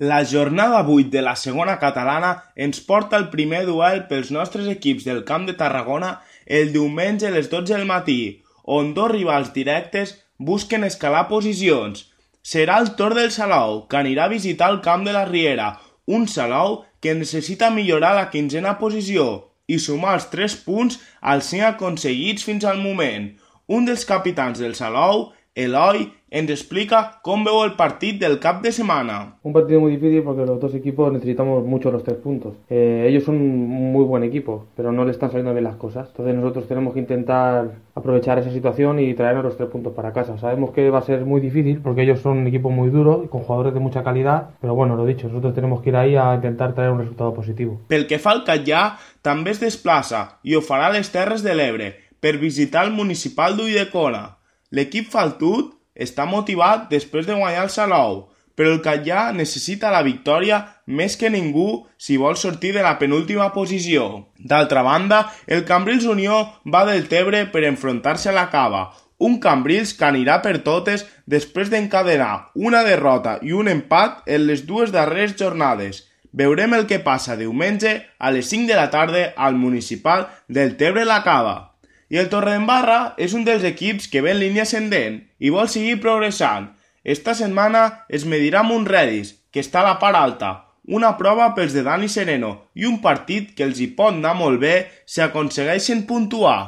La jornada 8 de la segona catalana ens porta el primer duel pels nostres equips del Camp de Tarragona el diumenge a les 12 del matí, on dos rivals directes busquen escalar posicions. Serà el torn del Salou, que anirà a visitar el Camp de la Riera, un Salou que necessita millorar la 15a posició i sumar els 3 punts als 5 aconseguits fins al moment. Un dels capitans del Salou, Eloi, ens explica cómo veo el partido del cap de semana. Un partido muy difícil porque los dos equipos necesitamos mucho los 3 puntos. Ellos son un muy buen equipo, pero no le están saliendo bien las cosas. Entonces nosotros tenemos que intentar aprovechar esa situación y traernos los 3 puntos para casa. Sabemos que va a ser muy difícil porque ellos son un equipo muy duro, con jugadores de mucha calidad, pero bueno, lo dicho, nosotros tenemos que ir ahí a intentar traer un resultado positivo. Pel que fa al Catllà, també es desplaça i ho farà a les Terres de l'Ebre per visitar el municipal d'Ulldecona. L'equip faltut està motivat després de guanyar el Salou, però el Catllà necessita la victòria més que ningú si vol sortir de la penúltima posició. D'altra banda, el Cambrils Unió va del Tebre per enfrontar-se a la Cava, un Cambrils que anirà per totes després d'encadenar una derrota i un empat en les dues darreres jornades. Veurem el que passa diumenge a les 5 de la tarda al municipal del Tebre-la Cava. I el Torredembarra és un dels equips que ve en línia ascendent i vol seguir progressant. Esta setmana es medirà amb un Redis, que està a la part alta, una prova pels de Dani Sereno i un partit que els hi pot anar molt bé si aconsegueixen puntuar.